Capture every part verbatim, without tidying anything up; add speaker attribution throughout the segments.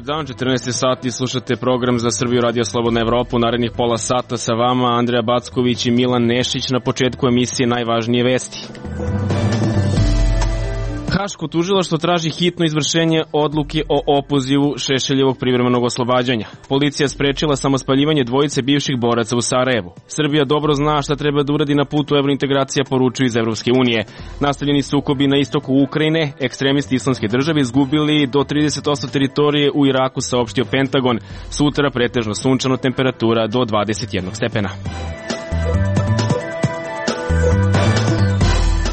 Speaker 1: dan, četrnaest sati, slušate program za Srbiju Radio Slobodna Evropa. U narednih pola sata sa vama Andreja Backović i Milan Nešić. Na početku emisije najvažnije vesti. Haško tužilaštvo traži hitno izvršenje odluke o opozivu Šešeljevog privremenog oslobađanja. Policija sprečila samospaljivanje dvojice bivših boraca u Sarajevu. Srbija dobro zna šta treba da uradi na putu evrointegracija, poručuju iz Evropske unije. Nastavljeni sukobi na istoku Ukrajine, ekstremisti islamske države izgubili do trideset posto teritorije u Iraku, saopštio Pentagon. Sutra pretežno sunčano, temperatura do dvadeset jedan stepena.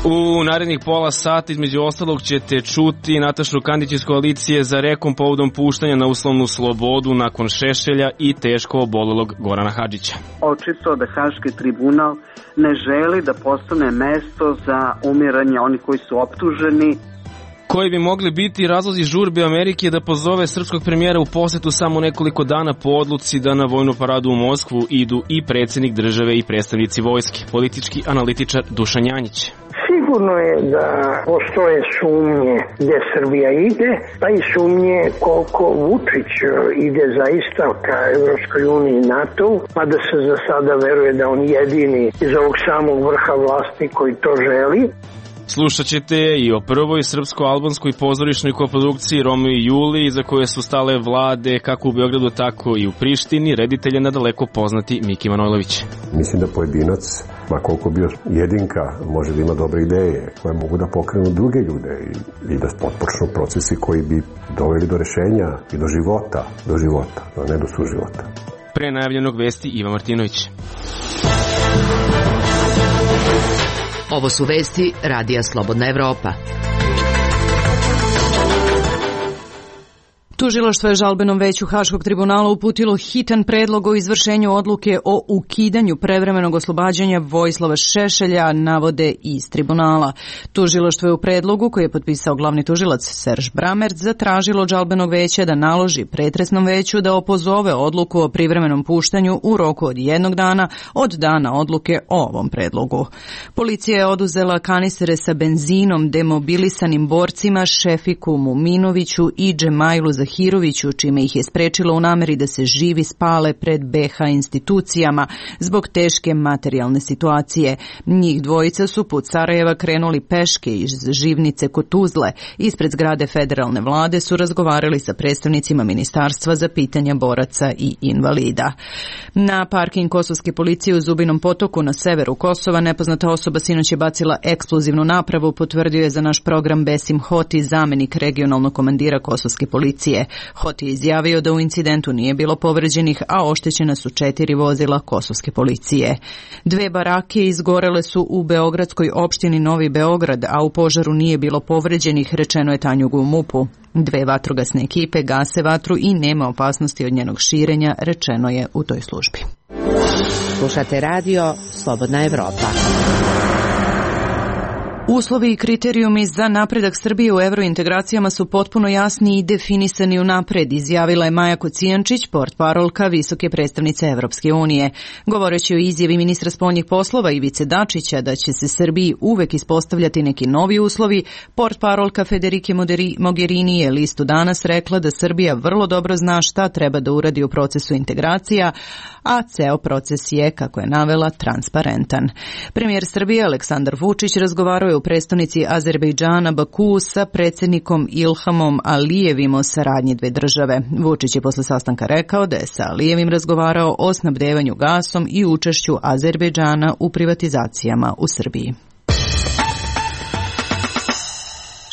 Speaker 1: U narednih pola sata između ostalog ćete čuti Natašu Kandić iz koalicije za Rekom povodom puštanja na uslovnu slobodu nakon Šešelja i teško obolelog Gorana Hadžića.
Speaker 2: Očito da Haški tribunal ne želi da postane mesto za umiranje onih koji su optuženi.
Speaker 1: Koji bi mogli biti razlozi žurbe Amerike da pozove srpskog premijera u posetu samo nekoliko dana po odluci da na vojnu paradu u Moskvu idu i predsjednik države i predstavnici vojske. Politički analitičar Dušan Janjić.
Speaker 3: Sigurno je da postoje sumnje gdje Srbija ide, pa i sumnje koliko Vučić ide zaista ka Evropskoj uniji i NATO, pa da se za sada veruje da on jedini iz ovog samog vrha vlasti koji to želi.
Speaker 1: Slušat ćete i o prvoj srpsko-albanskoj pozorišnoj koprodukciji Romeo i Juliji, za koje su stale vlade kako u Beogradu, tako i u Prištini, reditelj je nadaleko poznati Miki Manojlović.
Speaker 4: Mislim da pojedinac, ma koliko bio jedinka, može da ima dobre ideje koje mogu da pokrenu druge ljude i, i da potpočnu procesi koji bi doveli do rešenja i do života, do života, a ne do suživota.
Speaker 1: Pre najavljenog vesti Iva Martinović.
Speaker 5: Ovo su vesti Radija Slobodna Evropa.
Speaker 6: Tužilaštvo je žalbenom veću Haškog tribunala uputilo hitan predlog o izvršenju odluke o ukidanju prevremenog oslobađanja Vojislava Šešelja, navode iz tribunala. Tužilaštvo je u predlogu, koji je potpisao glavni tužilac Serž Bramerc, zatražilo od žalbenog veća da naloži pretresnom veću da opozove odluku o privremenom puštanju u roku od jednog dana od dana odluke o ovom predlogu. Policija je oduzela kanistere sa benzinom demobilisanim borcima Šefiku Muminoviću i Džemajlu Zahiroviću, čime ih je sprečilo u nameri da se živi spale pred be ha institucijama zbog teške materijalne situacije. Njih dvojica su put Sarajeva krenuli peške iz Živnice kod Tuzle. Ispred zgrade federalne vlade su razgovarali sa predstavnicima ministarstva za pitanja boraca i invalida. Na parking kosovske policije u Zubinom Potoku na severu Kosova nepoznata osoba sinoć je bacila eksplozivnu napravu, potvrdio je za naš program Besim Hoti, zamenik regionalnog komandira kosovske policije. Hoti je izjavio da u incidentu nije bilo povređenih, a oštećena su četiri vozila kosovske policije. Dve barake izgorele su u beogradskoj opštini Novi Beograd, a u požaru nije bilo povređenih, rečeno je Tanjugu u mupu. Dve vatrogasne ekipe gase vatru i nema opasnosti od njenog širenja, rečeno je u toj službi.
Speaker 5: Slušate radio Slobodna Evropa.
Speaker 6: Uslovi i kriterijumi za napredak Srbije u evrointegracijama su potpuno jasni i definisani unapred, izjavila je Maja Kocijančić, portparolka visoke predstavnice Evropske unije. Govoreći o izjavi ministra spoljnih poslova Ivice Dačića da će se Srbiji uvek ispostavljati neki novi uslovi, portparolka Federike Mogherini je listu Danas rekla da Srbija vrlo dobro zna šta treba da uradi u procesu integracija, a ceo proces je, kako je navela, transparentan. Premijer Srbije Aleksandar Vučić razgovarao je u prestonici Azerbejdžana Baku sa predsjednikom Ilhamom Alijevim o saradnji dve države. Vučić je posle sastanka rekao da je sa Alijevim razgovarao o snabdevanju gasom i učešću Azerbejdžana u privatizacijama u Srbiji.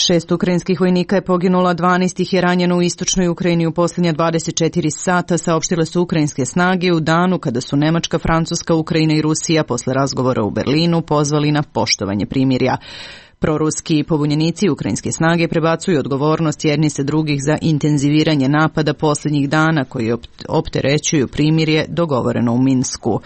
Speaker 6: Šest ukrajinskih vojnika je poginulo, dvanaest ih je ranjeno u istočnoj Ukrajini u posljednja dvadeset četiri sata, saopštile su ukrajinske snage u danu kada su Nemačka, Francuska, Ukrajina i Rusija posle razgovora u Berlinu pozvali na poštovanje primirja. Proruski pobunjenici ukrajinske snage prebacuju odgovornost jedni se drugih za intenziviranje napada posljednjih dana koji opterećuju primirje dogovoreno u Minsku.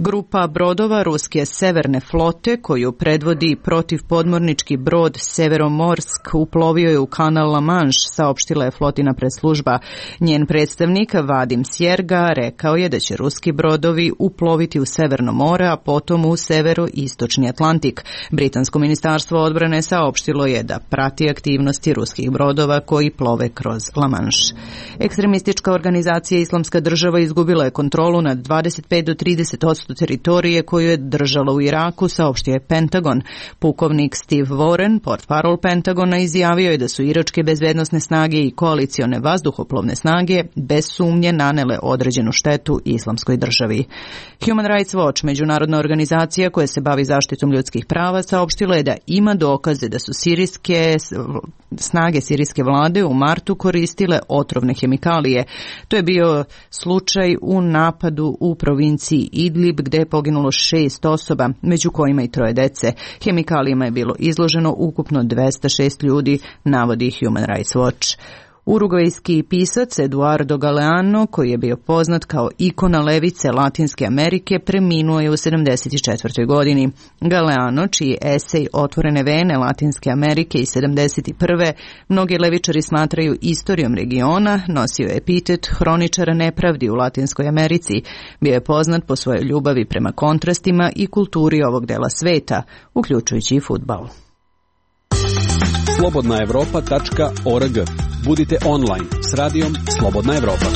Speaker 6: Grupa brodova ruske severne flote, koju predvodi protivpodmornički brod Severomorsk, uplovio je u kanal La Manche, saopštila je flotina preslužba. Njen predstavnik Vadim Sjerga rekao je da će ruski brodovi uploviti u Severno more, a potom u severoistočni Atlantik. Britansko ministarstvo odbrane saopštilo je da prati aktivnosti ruskih brodova koji plove kroz La Manche. Ekstremistička organizacija Islamska država izgubila je kontrolu nad dvadeset pet do trideset posto teritorije koju je držala u Iraku, saopštio je Pentagon. Pukovnik Steve Warren, portparol Pentagona, izjavio je da su iračke bezbednosne snage i koalicione vazduhoplovne snage bez sumnje nanele određenu štetu Islamskoj državi. Human Rights Watch, međunarodna organizacija koja se bavi zaštitom ljudskih prava, saopštila je da ima dokaze da su sirijske snage sirijske vlade u martu koristile otrovne hemikalije. To je bio slučaj u napadu u provinciji Idlib, gde je poginulo šest osoba, među kojima i troje dece. Hemikalijama je bilo izloženo ukupno dvesta šest ljudi, navodi Human Rights Watch. Urugvajski pisac Eduardo Galeano, koji je bio poznat kao ikona levice Latinske Amerike, preminuo je u sedamdeset četvrtoj godini. Galeano, čiji esej Otvorene vene Latinske Amerike iz sedamdeset prve mnogi levičari smatraju istorijom regiona, nosio je epitet hroničara nepravdi u Latinskoj Americi. Bio je poznat po svojoj ljubavi prema kontrastima i kulturi ovog dela sveta, uključujući i fudbal.
Speaker 7: slobodna evropa tačka org. Budite online s radijom Slobodna Evropa.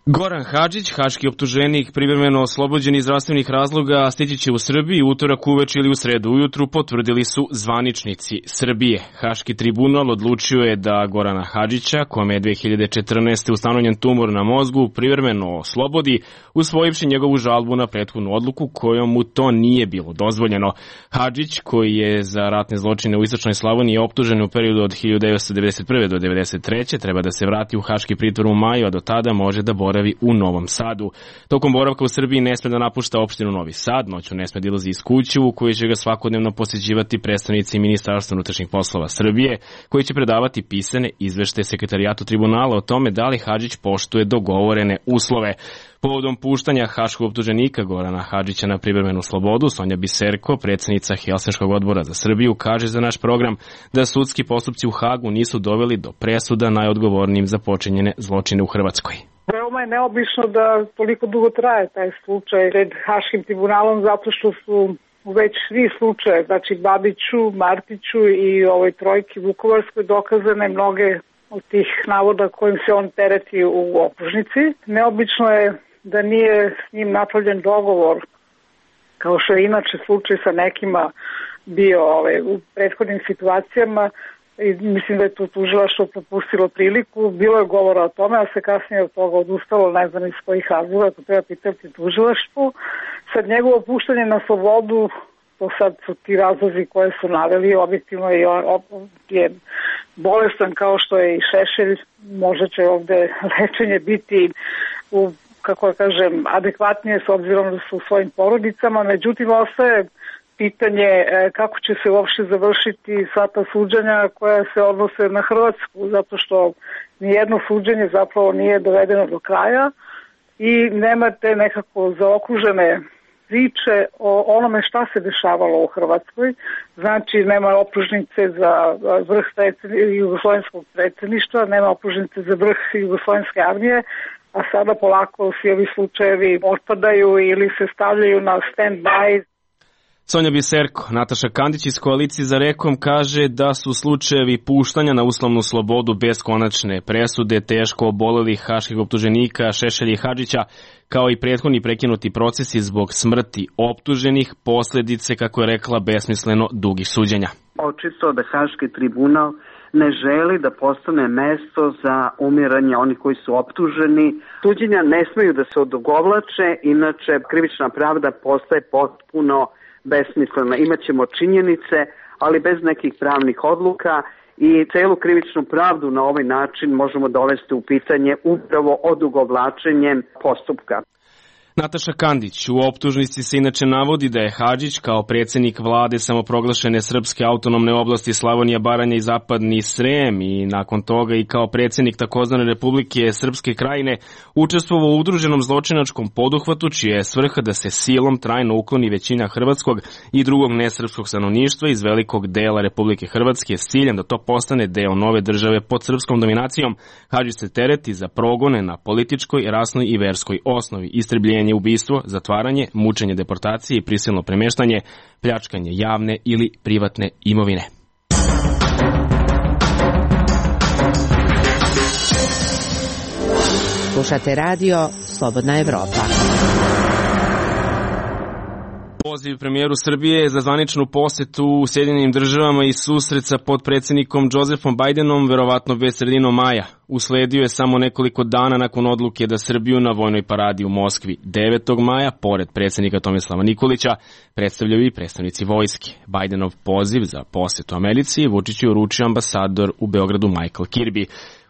Speaker 1: Goran Hadžić, haški optuženik privremeno oslobođen iz zdravstvenih razloga, stići će u Srbiji utorak uveče ili u sredu ujutru, potvrdili su zvaničnici Srbije. Haški tribunal odlučio je da Gorana Hadžića, kome je dve hiljade četrnaeste ustanovljen tumor na mozgu, privremeno oslobodi, usvojivši njegovu žalbu na prethodnu odluku kojom mu to nije bilo dozvoljeno. Hadžić, koji je za ratne zločine u Istočnoj Slavoniji optužen u periodu od hiljadu devetsto devedeset prve do devedeset treće treba da se vrati u haški pritvor u maju, a do tada može da boravi u Novom Sadu. Tokom boravka u Srbiji ne sme da napušta opštinu Novi Sad, noću ne sme da ilazi iz kuće u kojoj će ga svakodnevno posjećivati predstavnici Ministarstva unutrašnjih poslova Srbije, koji će predavati pisane izveštaje Sekretarijatu tribunala o tome da li Hadžić poštuje dogovorene uslove. Povodom puštanja haškog optuženika Gorana Hadžića na privremenu slobodu, Sonja Biserko, predsjednica Helsinškog odbora za Srbiju, kaže za naš program da sudski postupci u Hagu nisu doveli do presuda najodgovornijim za počinjene zločine u Hrvatskoj.
Speaker 8: Veoma je neobično da toliko dugo traje taj slučaj pred Haškim tribunalom, zato što su već svi slučaje, znači Babiću, Martiću i ovoj trojki Vukovarskoj dokazane mnoge od tih navoda kojim se on tereti u optužnici. Neobično je da nije s njim napravljen dogovor, kao što je inače slučaj sa nekima bio ovaj, u prethodnim situacijama. I mislim da je to tužilaštvo propustilo priliku. Bilo je govora o tome, a se kasnije od toga odustalo, ne znam iz kojih razloga, to treba pitati tužilaštvu. Sad njegovo puštanje na slobodu, to sad su ti razlozi koje su naveli, objektivno je, je bolestan kao što je i Šešelj, možda će ovde lečenje biti u, kako da kažem, adekvatnije s obzirom da su u svojim porodicama, međutim ostaje pitanje kako će se uopšte završiti sva ta suđenja koja se odnose na Hrvatsku, zato što nijedno suđenje zapravo nije dovedeno do kraja i nema te nekako zaokružene priče o onome šta se dešavalo u Hrvatskoj. Znači nema optužnice za vrh jugoslovenskog predsjedništva, nema optužnice za vrh jugoslovenske armije, a sada polako svi ovi slučajevi otpadaju ili se stavljaju na stand-by.
Speaker 1: Sonja Biserko. Nataša Kandić iz Koalicije za Rekom kaže da su slučajevi puštanja na uslovnu slobodu bez konačne presude teško obolelih haških optuženika Šešelja i Hadžića, kao i prethodni prekinuti procesi zbog smrti optuženih, posljedice, kako je rekla, besmisleno dugih suđenja.
Speaker 2: Očito da Haški tribunal ne želi da postane mesto za umiranje onih koji su optuženi. Suđenja ne smeju da se odugovlače, inače krivična pravda postaje potpuno besmislena. Imaćemo činjenice, ali bez nekih pravnih odluka i celu krivičnu pravdu na ovaj način možemo dovesti u pitanje upravo odugovlačenjem postupka.
Speaker 1: Nataša Kandić u optužnici se inače navodi da je Hadžić kao predsjednik vlade samoproglašene srpske autonomne oblasti Slavonija, Baranja i Zapadni Srem i nakon toga i kao predsjednik takozvane Republike Srpske Krajine učestvovao u udruženom zločinačkom poduhvatu čija je svrha da se silom trajno ukloni većina hrvatskog i drugog nesrpskog stanovništva iz velikog dela Republike Hrvatske s ciljem da to postane deo nove države pod srpskom dominacijom. Hadžić se tereti za progone na političkoj, rasnoj i verskoj osnovi, istrebljenje, ubistvo, zatvaranje, mučenje, deportacije i prisilno premeštanje, pljačkanje javne ili privatne imovine.
Speaker 5: Slušate radio Slobodna Evropa.
Speaker 1: Poziv premijeru Srbije za zvaničnu posetu u Sjedinjenim državama i susret sa potpredsjednikom Josefom Bajdenom verovatno već sredinom maja. Usledio je samo nekoliko dana nakon odluke da Srbiju na vojnoj paradi u Moskvi devetog maja, pored predsjednika Tomislava Nikolića, predstavljaju i predstavnici vojske. Bajdenov poziv za posetu Americi Vučiću je uručio ambasador u Beogradu Michael Kirby.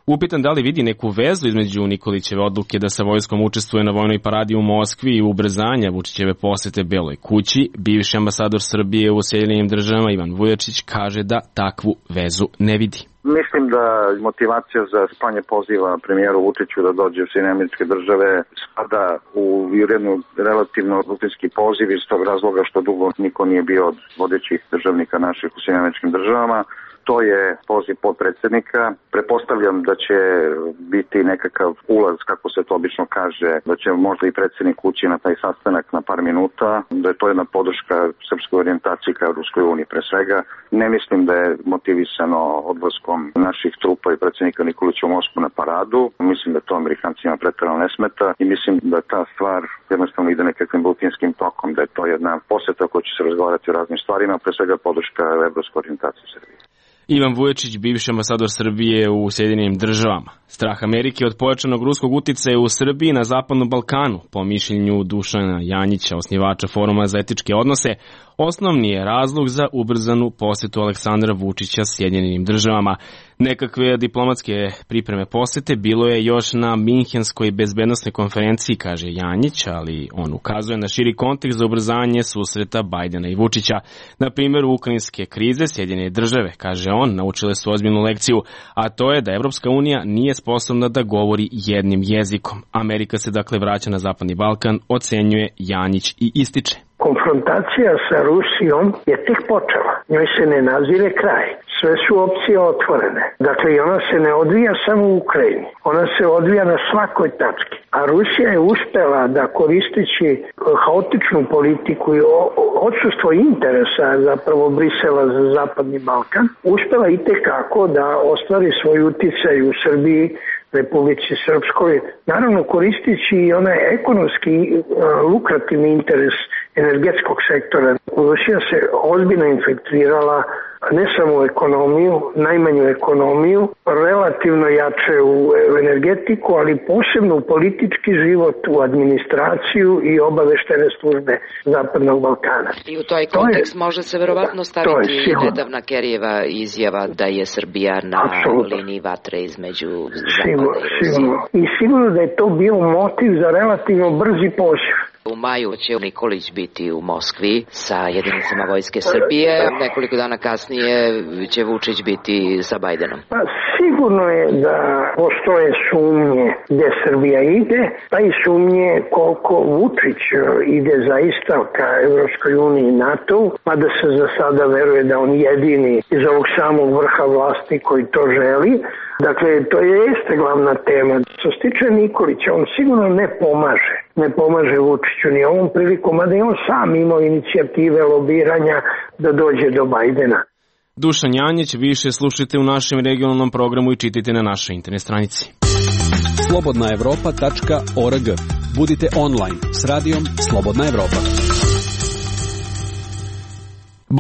Speaker 1: Upitan da li vidi neku vezu između Nikolićeve odluke da sa vojskom učestvuje na vojnoj paradi u Moskvi i ubrzanja Vučićeve posete Beloj kući, bivši ambasador Srbije u Sjedinjenim državama Ivan Vujačić kaže da takvu vezu ne vidi.
Speaker 9: Mislim da motivacija za slanje poziva premijeru Vučiću da dođe u Sjedinjene Američke Države spada u jednu relativno rutinski poziv iz tog razloga što dugo niko nije bio od vodećih državnika naših u Sjedinjenim Američkim Državama. To je poziv potpredsjednika. Pretpostavljam da će biti nekakav ulaz, kako se to obično kaže, da će možda i predsjednik ući na taj sastanak na par minuta, da je to jedna podrška srpskoj orijentaciji ka Ruskoj uniji pre svega. Ne mislim da je motivisano odlaskom naših trupa i predsjednika Nikolića u Moskvu na paradu. Mislim da to Amerikancima pretjerano ne smeta i mislim da ta stvar jednostavno ide nekakvim rutinskim tokom, da je to jedna poseta koja će se razgovarati o raznim stvarima, pre svega podrška evropskoj orijentaciji Srbije.
Speaker 1: Ivan Vujačić, bivši ambasador Srbije u Sjedinjenim državama. Strah Amerike od pojačanog ruskog uticaja u Srbiji na Zapadnom Balkanu, po mišljenju Dušana Janjića, osnivača Foruma za etičke odnose, osnovni je razlog za ubrzanu posetu Aleksandra Vučića Sjedinjenim državama. Nekakve diplomatske pripreme posete bilo je još na Minhenskoj bezbednosnoj konferenciji, kaže Janjić, ali on ukazuje na širi kontekst za ubrzanje susreta Bajdena i Vučića. Na primjer, ukrajinske krize Sjedinjene države, kaže on, naučile su ozbiljnu lekciju, a to je da Evropska unija nije sposobna da govori jednim jezikom. Amerika se dakle vraća na Zapadni Balkan, ocenjuje Janjić i ističe.
Speaker 3: Konfrontacija sa Rusijom je tek počela. Njoj se ne nazire kraj. Sve su opcije otvorene. Dakle, i ona se ne odvija samo u Ukrajini. Ona se odvija na svakoj tački. A Rusija je uspela da koristeći haotičnu politiku i odsustvo interesa zapravo Brisela za Zapadni Balkan, uspela i tekako da ostvari svoj uticaj u Srbiji, Republici Srpskoj, naravno koristeći i onaj ekonomski uh, lukrativni interes energetskog sektora. Rusija se ozbiljno infiltrirala ne samo u ekonomiju, najmanju ekonomiju, relativno jače u energetiku, ali posebno u politički život, u administraciju i obaveštene službe Zapadnog Balkana.
Speaker 5: I u toj kontekst to je, može se verovatno staviti nedavna Kerijeva izjava da je Srbija na Absolutno. liniji vatre između Zapada i Rusije.
Speaker 3: I sigurno da je to bio motiv za relativno brzi poziv.
Speaker 5: U maju će Nikolić biti u Moskvi sa jedinicama vojske Srbije, nekoliko dana kasnije će Vučić biti sa Bajdenom.
Speaker 3: Pa sigurno je da postoje sumnje gde Srbija ide, pa i sumnje koliko Vučić ide zaista ka Evropskoj uniji i NATO, pa da se za sada veruje da on jedini iz ovog samog vrha vlasti koji to želi. Dakle, to je jeste glavna tema. Što se tiče Nikolića, on sigurno ne pomaže. Ne pomaže Vučiću ni ovom prilikom, a da je on sam imao inicijative lobiranja da dođe do Bajdena.
Speaker 1: Dušan Janjić, više slušajte u našem regionalnom programu i čitajte na našoj internet stranici.
Speaker 7: slobodna evropa tačka org. Budite online s radijom Slobodna Evropa.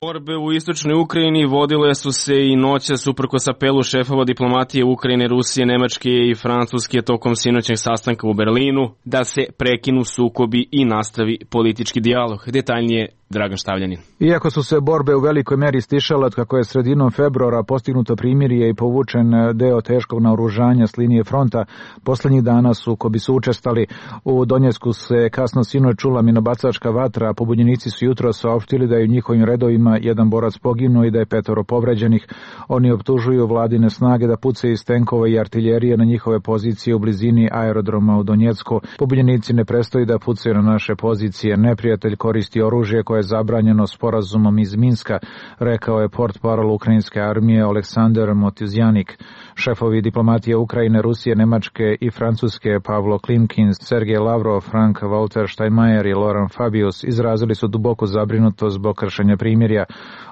Speaker 1: Borbe u istočnoj Ukrajini vodile su se i noćas uprkos apelu šefova diplomatije Ukrajine, Rusije, Nemačke i Francuske tokom sinoćnog sastanka u Berlinu da se prekinu sukobi i nastavi politički dijalog. Detaljnije Dragan Štavljanin.
Speaker 10: Iako su se borbe u velikoj meri stišale od kako je sredinom februara postignuto primirje i povučen deo teškog naoružanja s linije fronta, poslednjih dana su ko bi su učestali. U Donjecku se kasno sinoć čula minobacačka vatra, a pobunjenici su jutro saopštili da je u njihovim redovima jedan borac poginuo i da je petoro povređenih. Oni optužuju vladine snage da pucaju iz tenkova i artiljerije na njihove pozicije u blizini aerodroma u Donjecku. Pobunjenici ne prestaju da pucaju na naše pozicije. Neprijatelj koristi oružje koje je zabranjeno sporazumom iz Minska, rekao je portparol ukrajinske armije Aleksandar Motizjanik. Šefovi diplomatije Ukrajine, Rusije, Nemačke i Francuske Pavlo Klimkin, Sergej Lavrov, Frank Walter Steinmeier i Laurent Fabius izrazili su duboku zabrinutost zbog kršenja primirja.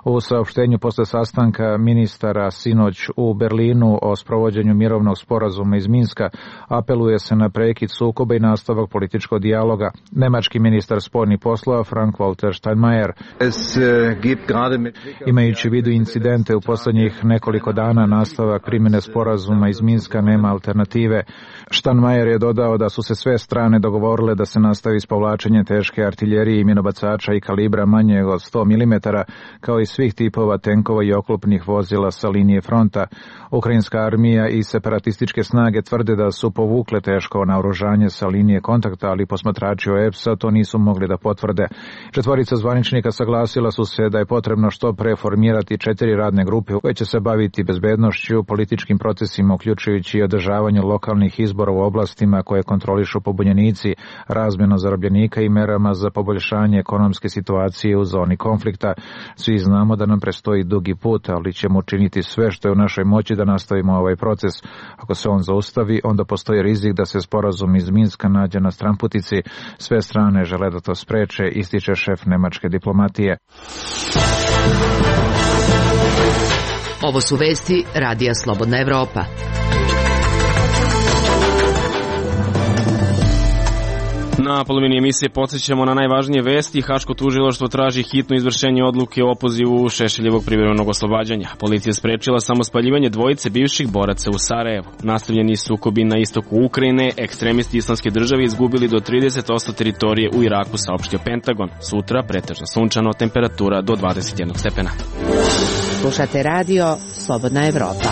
Speaker 10: U saopštenju posle sastanka ministara sinoć u Berlinu o sprovođenju mirovnog sporazuma iz Minska apeluje se na prekid sukoba i nastavak političkog dijaloga. Nemački ministar spoljnih poslova Frank Walter Steinmeier, imajući u vidu incidente u poslednjih nekoliko dana, nastavak primjene sporazuma iz Minska nema alternative. Steinmeier je dodao da su se sve strane dogovorile da se nastavi s povlačenjem teške artiljerije i minobacača i kalibra manjeg od sto milimetara, kao i svih tipova tenkova i oklopnih vozila sa linije fronta. Ukrajinska armija i separatističke snage tvrde da su povukle teško naoružanje sa linije kontakta, ali posmatrači O E P S-a to nisu mogli da potvrde. Četvorica zvaničnika saglasila su se da je potrebno što pre formirati četiri radne grupe koje će se baviti bezbednošću, političkim procesima, uključujući i održavanju lokalnih izbora u oblastima koje kontrolišu pobunjenici, razmjenu zarobljenika i merama za poboljšanje ekonomske situacije u zoni konflikta. Svi znamo da nam prestoji dugi put, ali ćemo učiniti sve što je u našoj moći da nastavimo ovaj proces. Ako se on zaustavi, onda postoji rizik da se sporazum iz Minska nađe na stranputici. Sve strane žele da to spreče, ističe šef nemačke diplomatije.
Speaker 5: Ovo su vesti Radija Slobodna Evropa.
Speaker 1: Na polovini emisije podsjećamo na najvažnije vesti. Haško tužilaštvo traži hitno izvršenje odluke o opozivu Šešeljevog privremenog oslobađanja. Policija sprečila samospaljivanje dvojice bivših boraca u Sarajevu. Nastavljeni sukobi na istoku Ukrajine, ekstremisti Islamske države izgubili do trideset posto teritorije u Iraku, saopštio Pentagon. Sutra pretežno sunčano, temperatura do dvadeset jedan stepena.
Speaker 5: Slušate radio Slobodna Evropa.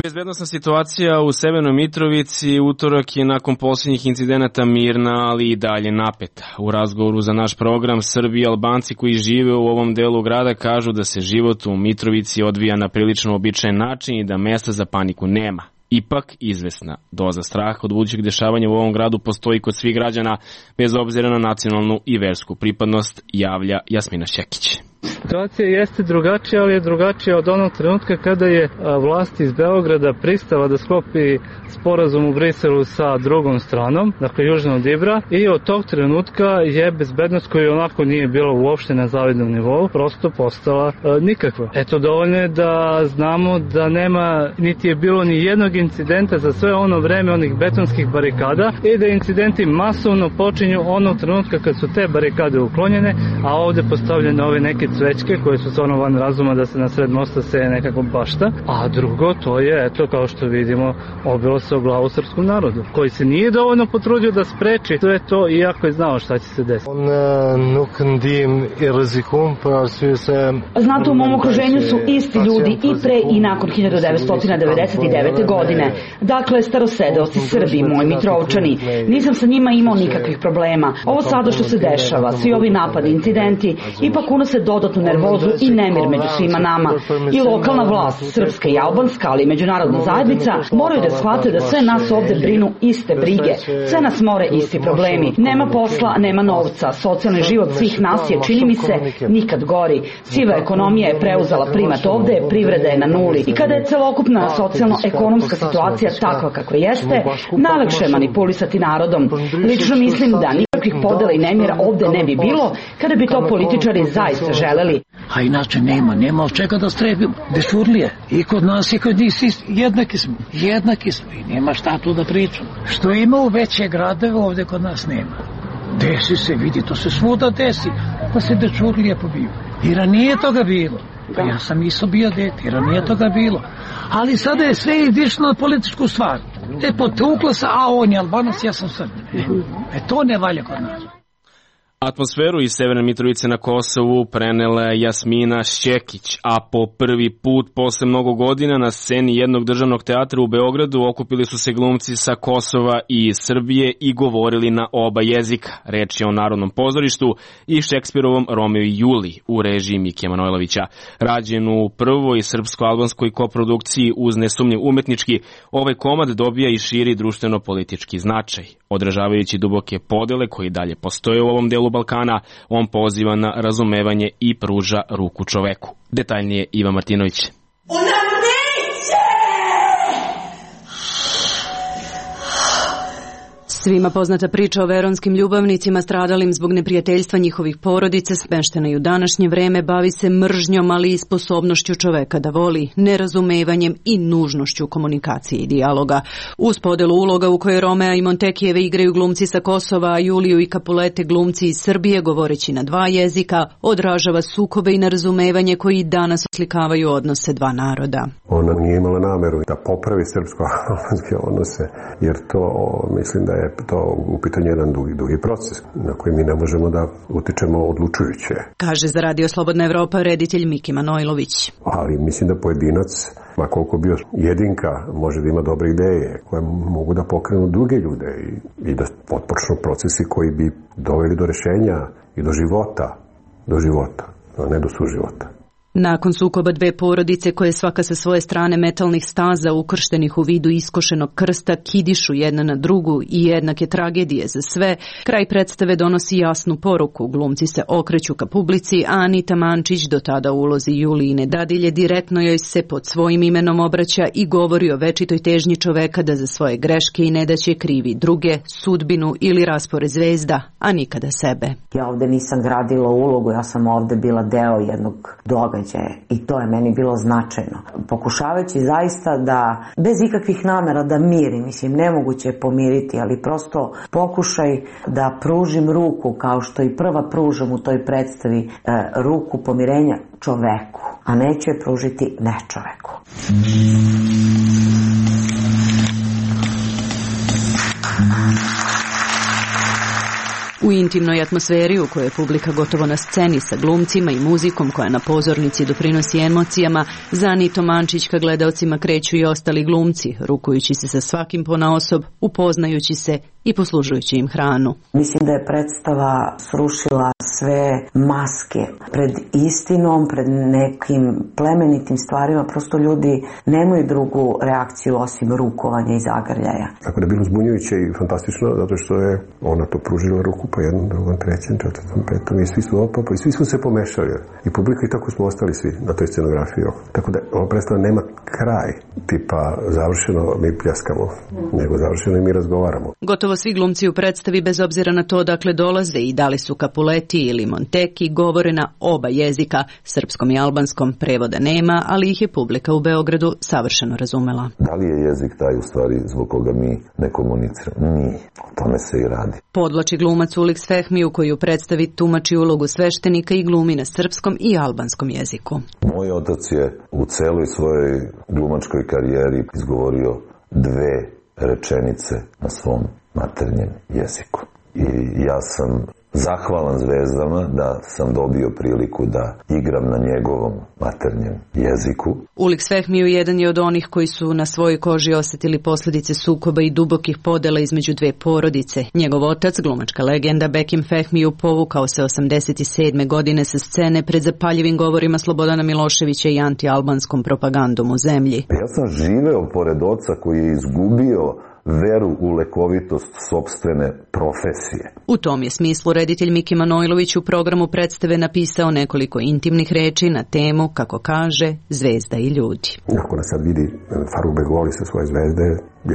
Speaker 1: Bezbednosna situacija u Severnoj Mitrovici utorak je nakon posljednjih incidenata mirna, ali i dalje napeta. U razgovoru za naš program Srbi i Albanci koji žive u ovom delu grada kažu da se život u Mitrovici odvija na prilično običajen način i da mesta za paniku nema. Ipak, izvesna doza straha od budućeg dešavanja u ovom gradu postoji kod svih građana, bez obzira na nacionalnu i versku pripadnost, javlja Jasmina Šekić.
Speaker 11: Situacija jeste drugačija, ali je drugačija od onog trenutka kada je vlast iz Beograda pristala da sklopi sporazum u Briselu sa drugom stranom, dakle južno od Ibra, i od tog trenutka je bezbednost koja onako nije bila uopšte na zavidnom nivou, prosto postala e, nikakva. Eto, dovoljno je da znamo da nema, niti je bilo ni jednog incidenta za sve ono vreme onih betonskih barikada i da incidenti masovno počinju onog trenutka kad su te barikade uklonjene, a ovde postavljene ove neke cvećke koje su stvarno van razuma da se na sred mosta seje nekako bašta, a drugo to je, eto, kao što vidimo, obilo se o glavu srpskom narodu, koji se nije dovoljno potrudio da spreči sve to, iako je znao šta će se desiti.
Speaker 12: Znate, u mom okruženju su isti ljudi i pre i nakon hiljadu devetsto devedeset devete. godine. Dakle, starosedeoci Srbi, moji Mitrovčani. Nisam sa njima imao nikakvih problema. Ovo sada što se dešava, svi ovi napadi, incidenti, ipak unose dodatnu nervozu i nemir među svima nama. I lokalna vlast, srpska i albanska, ali i međunarodna zajednica, moraju da shvate da sve nas ovde brinu iste brige. Sve nas more isti problemi. Nema posla, nema novca. Socijalni život svih nas je, čini mi se, nikad gori. Siva ekonomija je preuzela primat ovde, privreda je na nuli. I kada je celokupna socijalno-ekonomska situacija takva kakva jeste, najlakše je manipulisati narodom. Lično mislim da nikakvih podela i nemira ovde ne bi bilo kada bi to političari zaista želeli.
Speaker 13: A inače nema, nema od čega da strebimo. Dešurlije. I kod nas i kod njih jednaki smo. Jednaki smo i nema šta tu da pričamo. Što ima u veće gradove ovde kod nas nema. Desi se, vidi, to se svuda desi. Pa se dečurlije pobiju. I ranije toga bilo. Pa ja sam isto bio dete, i ranije toga bilo. Ali sada je sve išlo na političku stvar. E, potuklo se, a on je Albanac, ja sam Srbin. E, e to ne valja kod nas.
Speaker 1: Atmosferu iz Severne Mitrovice na Kosovu prenela je Jasmina Šćekić, a po prvi put posle mnogo godina na sceni jednog državnog teatra u Beogradu okupili su se glumci sa Kosova i Srbije i govorili na oba jezika. Reč je o Narodnom pozorištu i Šekspirovom Romeo i Juli u režiji Mikija Manojlovića. Rađen u prvoj srpsko-albanskoj koprodukciji uz nesumnjiv umetnički, ovaj komad dobija i širi društveno-politički značaj. Odražavajući duboke podele koji dalje postoje u ovom delu Balkana, on poziva na razumevanje i pruža ruku čoveku. Detaljnije Iva Martinović.
Speaker 14: Ona neće!
Speaker 6: Svima poznata priča o veronskim ljubavnicima stradalim zbog neprijateljstva njihovih porodica, smeštena i u današnje vreme, bavi se mržnjom, ali i sposobnošću čoveka da voli, nerazumevanjem i nužnošću komunikacije i dijaloga. Uz podelu uloga u kojoj Romea i Montekijeve igraju glumci sa Kosova, a Juliju i Kapulete glumci iz Srbije, govoreći na dva jezika, odražava sukobe i nerazumevanje koji danas oslikavaju odnose dva naroda.
Speaker 4: Ona nije imala nameru da popravi srpsko-albanske odnose, jer to, mislim da je to u pitanju jedan dugi, dugi proces na koji mi ne možemo da utičemo odlučujuće.
Speaker 6: Kaže za Radio Slobodna Evropa reditelj Miki Manojlović.
Speaker 4: Ali mislim da pojedinac, ma koliko bio jedinka, može da ima dobre ideje koje mogu da pokrenu druge ljude i, i da otpočnu procesi koji bi doveli do rešenja i do života, do života, a ne do suživota.
Speaker 6: Nakon sukoba dve porodice koje svaka sa svoje strane metalnih staza ukrštenih u vidu iskošenog krsta kidišu jedna na drugu i jednake tragedije za sve, kraj predstave donosi jasnu poruku. Glumci se okreću ka publici, a Anita Mančić, do tada u ulozi Julijine dadilje, direktno joj se pod svojim imenom obraća i govori o večitoj težnji čoveka da za svoje greške i nedaće krivi druge, sudbinu ili raspored zvezda, a nikada sebe.
Speaker 15: Ja ovde nisam gradila ulogu, ja sam ovde bila deo jednog događaja. I to je meni bilo značajno. Pokušavajući zaista da, bez ikakvih namera da miri, mislim, nemoguće je pomiriti, ali prosto pokušaj da pružim ruku, kao što i prva pružam u toj predstavi, e, ruku pomirenja čoveku, a neću je pružiti ne čoveku.
Speaker 6: U intimnoj atmosferi u kojoj je publika gotovo na sceni sa glumcima i muzikom koja na pozornici doprinosi emocijama, za Anitu Mančić ka gledaocima kreću i ostali glumci, rukujući se sa svakim ponaosob, upoznajući se i poslužujući im hranu.
Speaker 15: Mislim da je predstava srušila sve maske pred istinom, pred nekim plemenitim stvarima. Prosto ljudi nemaju drugu reakciju osim rukovanja i zagrljaja.
Speaker 4: Tako da je bilo zbunjujuće i fantastično, zato što je ona to pružila ruku po jednom, drugom, trećem, četvrtom, petom i svi su opapa i svi smo se pomešali. I publika i tako smo ostali svi na toj scenografiji. Tako da ova predstava nema kraj, tipa završeno mi pljaskamo, nego završeno i mi razgovaramo.
Speaker 6: Gotovo svi glumci u predstavi, bez obzira na to dakle dolaze i da li su Kapuleti ili Monteki, govore na oba jezika, srpskom i albanskom, prevoda nema, ali ih je publika u Beogradu savršeno razumela.
Speaker 16: Da li je jezik taj u stvari zbog koga mi ne komuniciramo? Nije. O tome se i radi.
Speaker 6: Podvlači glumac Uliks Fehmiju koji u predstavi tumači ulogu sveštenika i glumi na srpskom i albanskom jeziku.
Speaker 16: Moj otac je u celoj svojoj glumačkoj karijeri izgovorio dve rečenice na svom maternjem jeziku. I ja sam zahvalan zvezdama da sam dobio priliku da igram na njegovom maternjem jeziku.
Speaker 6: Uliks Fehmiju jedan je od onih koji su na svojoj koži osjetili posljedice sukoba i dubokih podela između dve porodice. Njegov otac, glumačka legenda Bekim Fehmiju, povukao se osamdeset sedme godine sa scene pred zapaljivim govorima Slobodana Miloševića i anti-albanskom propagandom u zemlji.
Speaker 16: Ja sam živeo pored oca koji je izgubio veru u lekovitost sopstvene profesije.
Speaker 6: U tom je smislu reditelj Miki Manojlović u programu predstave napisao nekoliko intimnih reči na temu, kako kaže, zvezda i ljudi.
Speaker 4: Ako nas sad vidi Faruk Begoli sa svoje zvezde,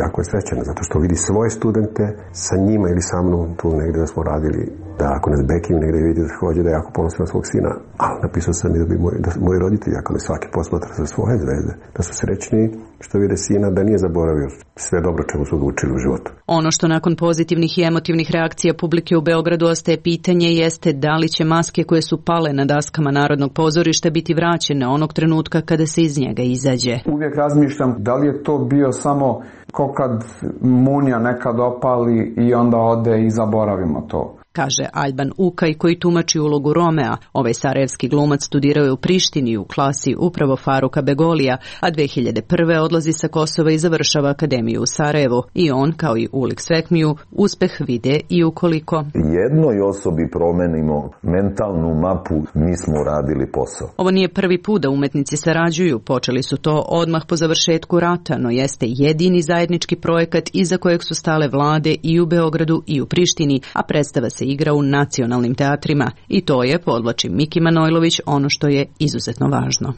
Speaker 4: jako je srećan, zato što vidi svoje studente sa njima ili sa mnom tu negde da smo radili, da ako nas Bekim negde vidi da hođe da je jako ponosan na svog sina, ali napisao sam i da bi moj, da moji roditelji, ako me svaki posmatra sa svoje zvezde, da su srećni što vide sina da nije zaboravio sve dobro čemu su ga učili u životu.
Speaker 6: Ono što nakon pozitivnih i emotivnih reakcija publike u Beogradu ostaje pitanje jeste da li će maske koje su pale na daskama Narodnog pozorišta biti vraćene onog trenutka kada se iz njega izađe.
Speaker 17: Uvijek razmišljam da li je to bio samo ko kad munja nekad opali i onda ode i zaboravimo to.
Speaker 6: kaže Alban Ukaj koji tumači ulogu Romea. Ovaj sarajevski glumac studirao je u Prištini u klasi upravo Faruka Begolija, a dve hiljade prve odlazi sa Kosova i završava akademiju u Sarajevu. I on, kao i Ulik Svekmiju, uspeh vide i ukoliko
Speaker 16: jednoj osobi promenimo mentalnu mapu, mi smo uradili posao.
Speaker 6: Ovo nije prvi put da umetnici sarađuju, počeli su to odmah po završetku rata, no jeste jedini zajednički projekat iza kojeg su stale vlade i u Beogradu i u Prištini, a predstava se igra u nacionalnim teatrima. I to je, podvlači Miki Manojlović, ono što je izuzetno važno.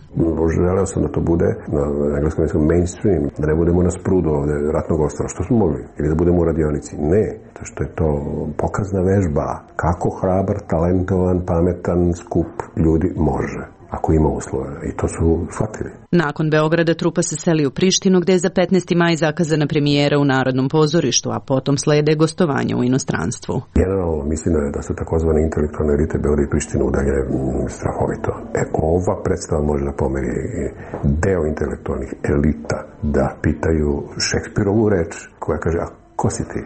Speaker 4: Želeo sam da to bude na engleskom mainstream, da ne budemo na sprudu ovde ratnog ostra, što smo mogli, ili da budemo u radionici. Ne, to što je to pokazna vežba, kako hrabar, talentovan, pametan skup ljudi može, ako ima uslove. I to su shvatili.
Speaker 6: Nakon Beograda trupa se seli u Prištinu, gde je za petnaesti maj zakazana premijera u Narodnom pozorištu, a potom slede gostovanja u inostranstvu.
Speaker 4: Generalno mislim da su takozvane intelektualne elite Beograd i Prištinu udaljene strahovito. E, ova predstava može da pomeri deo intelektualnih elita da pitaju Šekspirovu reč koja kaže, a ko si ti?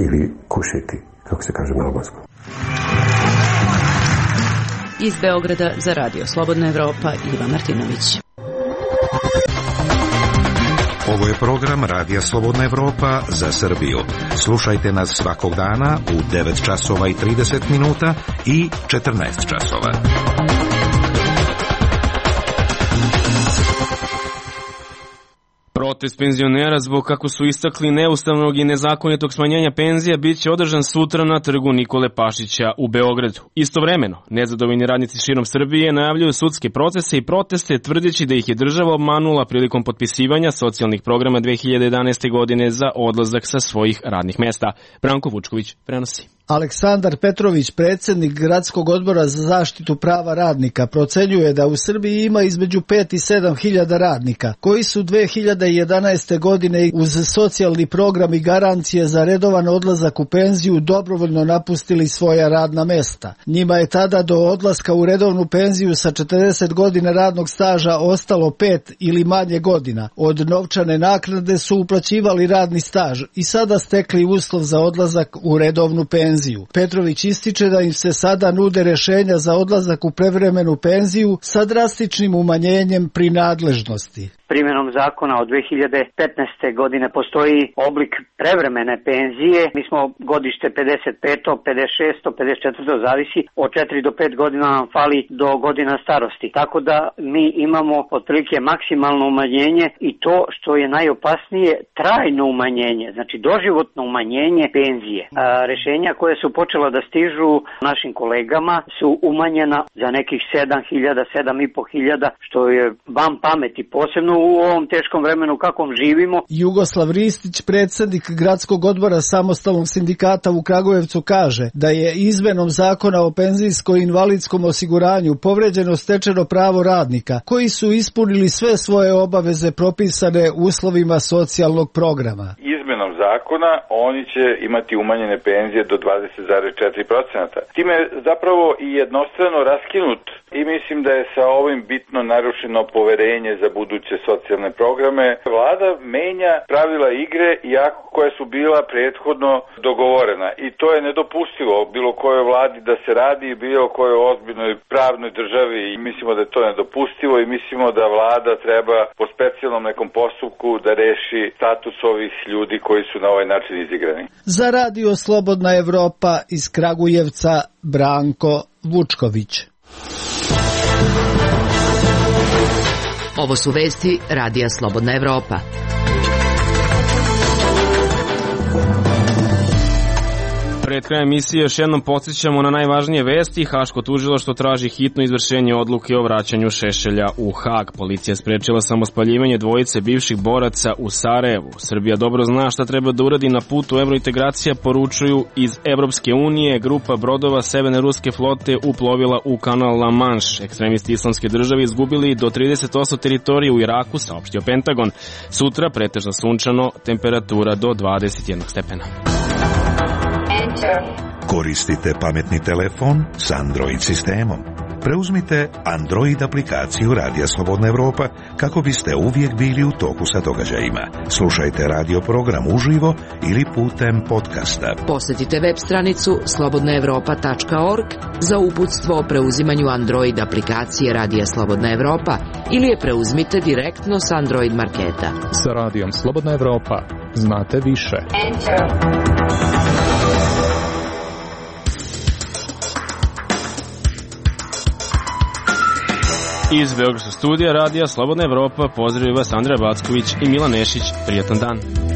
Speaker 4: Ili kuši ti, kako se kaže na albanskom.
Speaker 6: Iz Beograda za Radio Slobodna Evropa, Iva Martinović.
Speaker 18: Ovo je program Radija Slobodna Evropa za Srbiju. Slušajte nas svakog dana u devet časova i trideset minuta i četrnaest časova.
Speaker 1: Protest penzionera zbog, kako su istakli, neustavnog i nezakonitog smanjenja penzija biće održan sutra na trgu Nikole Pašića u Beogradu. Istovremeno, nezadovoljni radnici širom Srbije najavljuju sudske procese i proteste tvrdeći da ih je država obmanula prilikom potpisivanja socijalnih programa dve hiljade jedanaeste. godine za odlazak sa svojih radnih mesta. Branko Vučković prenosi.
Speaker 19: Aleksandar Petrović, predsjednik Gradskog odbora za zaštitu prava radnika, procenjuje da u Srbiji ima između pet i sedam hiljada radnika, koji su dve hiljade jedanaeste. godine uz socijalni program i garancije za redovan odlazak u penziju dobrovoljno napustili svoja radna mesta. Njima je tada do odlaska u redovnu penziju sa četrdeset godina radnog staža ostalo pet ili manje godina. Od novčane naknade su uplaćivali radni staž i sada stekli uslov za odlazak u redovnu penziju. Petrović ističe da im se sada nude rešenja za odlazak u prevremenu penziju sa drastičnim umanjenjem prinadležnosti.
Speaker 20: Primjenom zakona od dve hiljade petnaeste. godine postoji oblik prevremene penzije. Mi smo godište pedeset peto, pedeset šesto, pedeset četvrto zavisi od četiri do pet godina nam fali do godina starosti. Tako da mi imamo otprilike maksimalno umanjenje i to što je najopasnije trajno umanjenje, znači doživotno umanjenje penzije. A, rešenja koje su počela da stižu našim kolegama su umanjena za nekih sedam hiljada, sedam i po hiljada, što je van pameti, posebno u ovom teškom vremenu kakvom živimo.
Speaker 19: Jugoslav Ristić, predsjednik Gradskog odbora Samostalnog sindikata u Kragujevcu, kaže da je izmenom zakona o penzijsko-invalidskom osiguranju povređeno stečeno pravo radnika koji su ispunili sve svoje obaveze propisane uslovima socijalnog programa.
Speaker 21: Izmenom zakona oni će imati umanjene penzije do dvadeset zarez četiri posto. Time je zapravo i jednostrano raskinut i mislim da je sa ovim bitno narušeno poverenje za buduće socijalne programe. Vlada menja pravila igre iako koja su bila prethodno dogovorena i to je nedopustivo bilo kojoj vladi da se radi i bilo kojoj ozbiljnoj pravnoj državi i mislimo da je to nedopustivo i mislimo da vlada treba po specijalnom nekom postupku da reši status ovih ljudi koji su na ovaj način izigrani.
Speaker 19: Za Radio Slobodna Evropa iz Kragujevca, Branko Vučković.
Speaker 5: Ovo su vesti Radija Slobodna Evropa.
Speaker 1: Pred krajem emisije još jednom podsjećamo na najvažnije vesti. Haško tužilaštvo traži hitno izvršenje odluke o vraćanju Šešelja u Hag. Policija sprečila samospaljivanje dvojice bivših boraca u Sarajevu. Srbija dobro zna šta treba da uradi na putu evrointegracija, poručuju iz Evropske unije. Grupa brodova Severne ruske flote uplovila u kanal La Manche. Ekstremisti islamske države izgubili do trideset osam teritorije u Iraku, saopštio Pentagon. Sutra pretežno sunčano, temperatura do dvadeset jedan stepena.
Speaker 18: Koristite pametni telefon s Android sistemom. preuzmite Android aplikaciju Radija Slobodna Evropa kako biste uvijek bili u toku sa događajima. Slušajte radio program uživo ili putem podcasta.
Speaker 5: Posjetite web stranicu slobodna evropa tačka org za uputstvo o preuzimanju Android aplikacije Radija Slobodna Evropa ili je preuzmite direktno s Android marketa.
Speaker 8: Sa Radijom Slobodna Evropa znate više.
Speaker 1: Iz Beogradskog studija Radija Slobodna Evropa pozdravljaju vas Andreja Backović i Milan Nešić. Prijatan dan.